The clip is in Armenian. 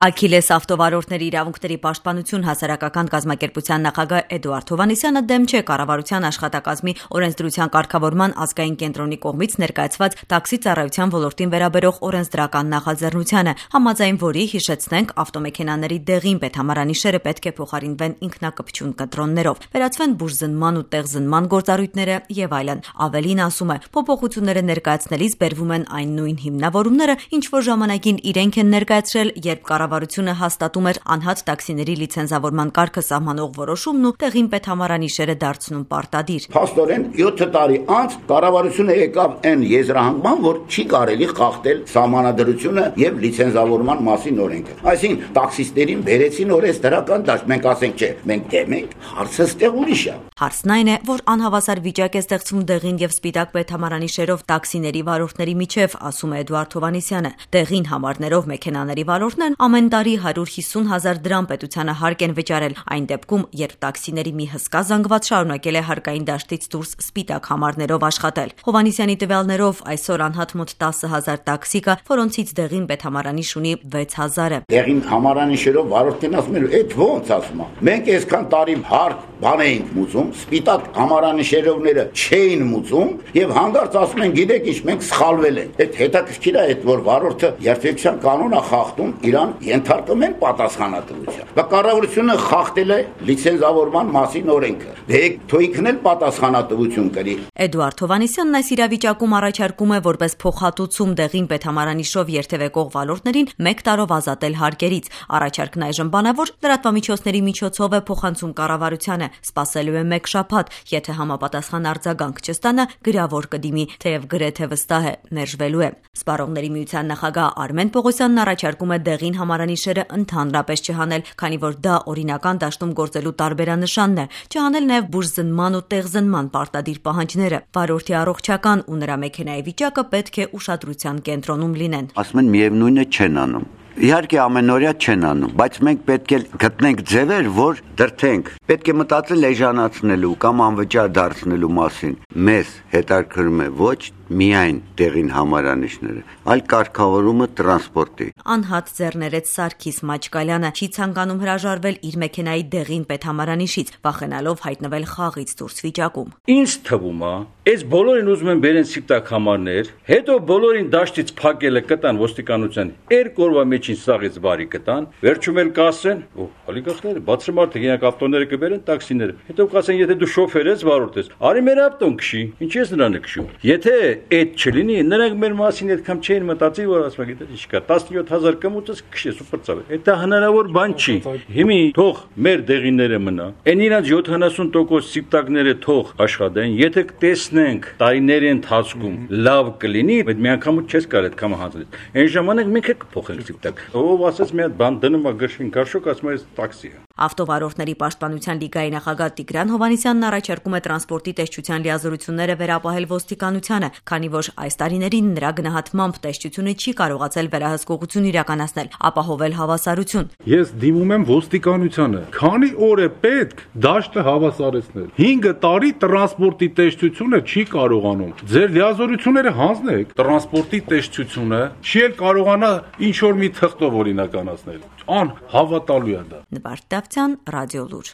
Աքիլես ավտովարորդների իրավունքների պաշտպանություն հասարակական կազմակերպության նախագահ Էդուարդ Հովհաննիսյանը դեմ չէ կառավարության աշխատակազմի օրենսդրության կարգավորման ազգային կենտրոնի կողմից ներկայացված տաքսի ծառայության ոլորտին վերաբերող օրենսդրական նախաձեռնությանը, համաձայն որի, հիշեցնենք, ավտոմեքենաների դեղին պետհամարանիշերը պետք է փոխարինվեն ինքնակպչուն կտրոններով, վերացվեն բուժզնման ու տեղզնման գործառույթները եւ այլն։ Ավելին ասում է, փոփոխությունները ներկայացնելիս բերվում են այն նույն հիմնավորումները, ինչ որ ժամանակին իրենք են ներկայացրել, երբ կառավարությունը հաստատում էր անհատ տաքսիների լիցենզավորման կարգը սահմանող որոշումն ու տեղին պետհամարանիշերը դարձնում պարտադիր։ Փաստորեն 7 տարի անց կառավարությունը եկավ այն եզրահանգման, որ չի կարելի խախտել սահմանադրությունը եւ լիցենզավորման մասին օրենքը։ Այսինքն տաքսիստերին բերեցին օրենսդրական դաշտ, մենք ասենք չէ, մենք դեմ ենք, հարցը ստեղ ուրիշ է։ Հարցն այն է, որ անհավասար վիճակ է ստեղծվում դեղին եւ սպիտակ պետհամարանիշերով տաքսիների վարորդների միջև, ասում է Էդուարդ Հովհաննիսյանը։ Դեղին համարներով մեքենաների վարորդներն ամեն տարի 150,000 դրամ պետությանը հարկ են վճարել, այն դեպքում, երբ տաքսիների մի հսկա զանգված շարունակել է հարկային դաշտից դուրս սպիտակ համարներով աշխատել։ Հովհաննիսյանի տվյալներով այսօր անհատ մոտ 10,000 տաքսի կա, որոնցից դեղին պետհամարանիշ ունի 6,000-ը։ Դեղին համարանիշերով վարորդին ասում են, «Էդ ո՞նց ասում է»։ Մենք այսքան տարի հարկ բան էինք մուծում, սպիտակ համարանիշերովները չէին մուծում եւ հանդարտ ասում են, գիտեք ինչ, մենք սխալվել ենք։ Այդ հետաքրքիր է, այդ որ վարորդը երթևեկության կանոնը խախտում, իրան ենթարկում են պատասխանատվության։ Դա կառավարությունը խախտել է լիցենզավորման մասին օրենքը։ Դե թույքն էլ պատասխանատվություն կրի։ Էդուարդ Հովհաննիսյանն այս իրավիճակում առաջարկում է որպես փոխհատուցում դեղին պետհամարանիշով երթևեկող վարորդներին 1 տարով ազատել հարկերից։ Առաջարկն այժմ բանավոր լրատվամիջոցների միջոցով է փոխանցում կառավարությանը, սպասելու է 1 շաբաթ, եթե համապատասխան արձագանք չստանա, գրավոր կդիմի, թեև գրեթե վստահ է, մերժվելու է։ Սպառողների միության նախագահ Արմեն Պողոսյանն առաջարկում է դեղին համարանիշերը ընդհանրապես չհանել, քանի որ դա օրինական դաշտում գործելու տարբերանշանն է, չհանել նաև բուժզնման ու տեղզնման պարտադիր պահանջները։ Վարորդի առողջական ու նրա մեքենայի վիճակը պետք է ուշադրության կենտրոնում լինեն։ Ասում են միևնույնը չեն անում։ Իհարկե ամենօրյա չեն անում, բայց մենք պետք է գտնենք ձևեր, որ դրթենք։ Պետք է մտածել էժանացնելու կամ անվճար դարձնելու մասին։ Մեզ հետաքրքրում է ոչ միայն տեղին համարանիշները, այլ կարգավորումը տրանսպորտի։ Անհատ ձեռներեց Սարգիս Մաչկալյանը չի ցանկանում հրաժարվել իր մեքենայի դեղին պետհամարանիշից, վախենալով հայտնվել խաղից դուրս վիճակում։ Ինչ թվում է, այս բոլորին ուզում են բերեն սպիտակ համարներ, հետո բոլորին դաշտից փակելը կտան ոստիկանության 2 օրվա մեջին սաղից բարի կտան, վերջում էլ կասեն, օլիգարխները բացրմարդ եկեք ավտոները կբերեն տաքսիները, հետո կասեն, եթե դու շոֆեր ես, վարորդ ես, արի մեր ավտոն քշի, ինչ ես նրանը քշում։ Եթե այդ չլինի, նրանք մեր մասին այդքան չէին մտածի, որ ասում գիտես ինչ կա, 17,000 կմուծես քշես ու պրծավ։ Դա հնարավոր բան չի։ Հիմի թող մեր դեղինները մնա, այն իրանց 70% սիպտակները թող աշխատեն, եթե տեսնենք տարիների ընթացքում լավ կլինի, այդ միանգամից չես կարող այդքան հանձնել։ Այն ժամանակ մենք էլ կփոխենք սիպտակ։ Ով ասես մի հատ բան դնում է գրշին կարշոկ, ասում է տաքսի է։ Ավտովարորդների պաշտպանության լիգայի նախագահ Տիգրան Հովհաննիսյանն առաջարկում է տրանսպորտի տեսչության լիազորությունները վերապահել ոստիկանությանը, քանի որ այս տարիներին նրա գնահատմամբ տեսչությունը չի կարողացել վերահսկողություն իրականացնել, ապահովել հավասարություն։ Ես դիմում եմ ոստիկանությանը, քանի օր է պետք դաշտը հավասարեցնել։ 5 տարի տրանսպորտի տեսչությունը չի կարողանում։ Ձեր լիազորությունները հանձնեք, տրանսպորտի տեսչությունը չի էլ կարողանա ինչ որ մի թղթով օրինականացնել։ Անհավատալու է դա։ Նվարդ Դավթյան, Ռադիոլուր։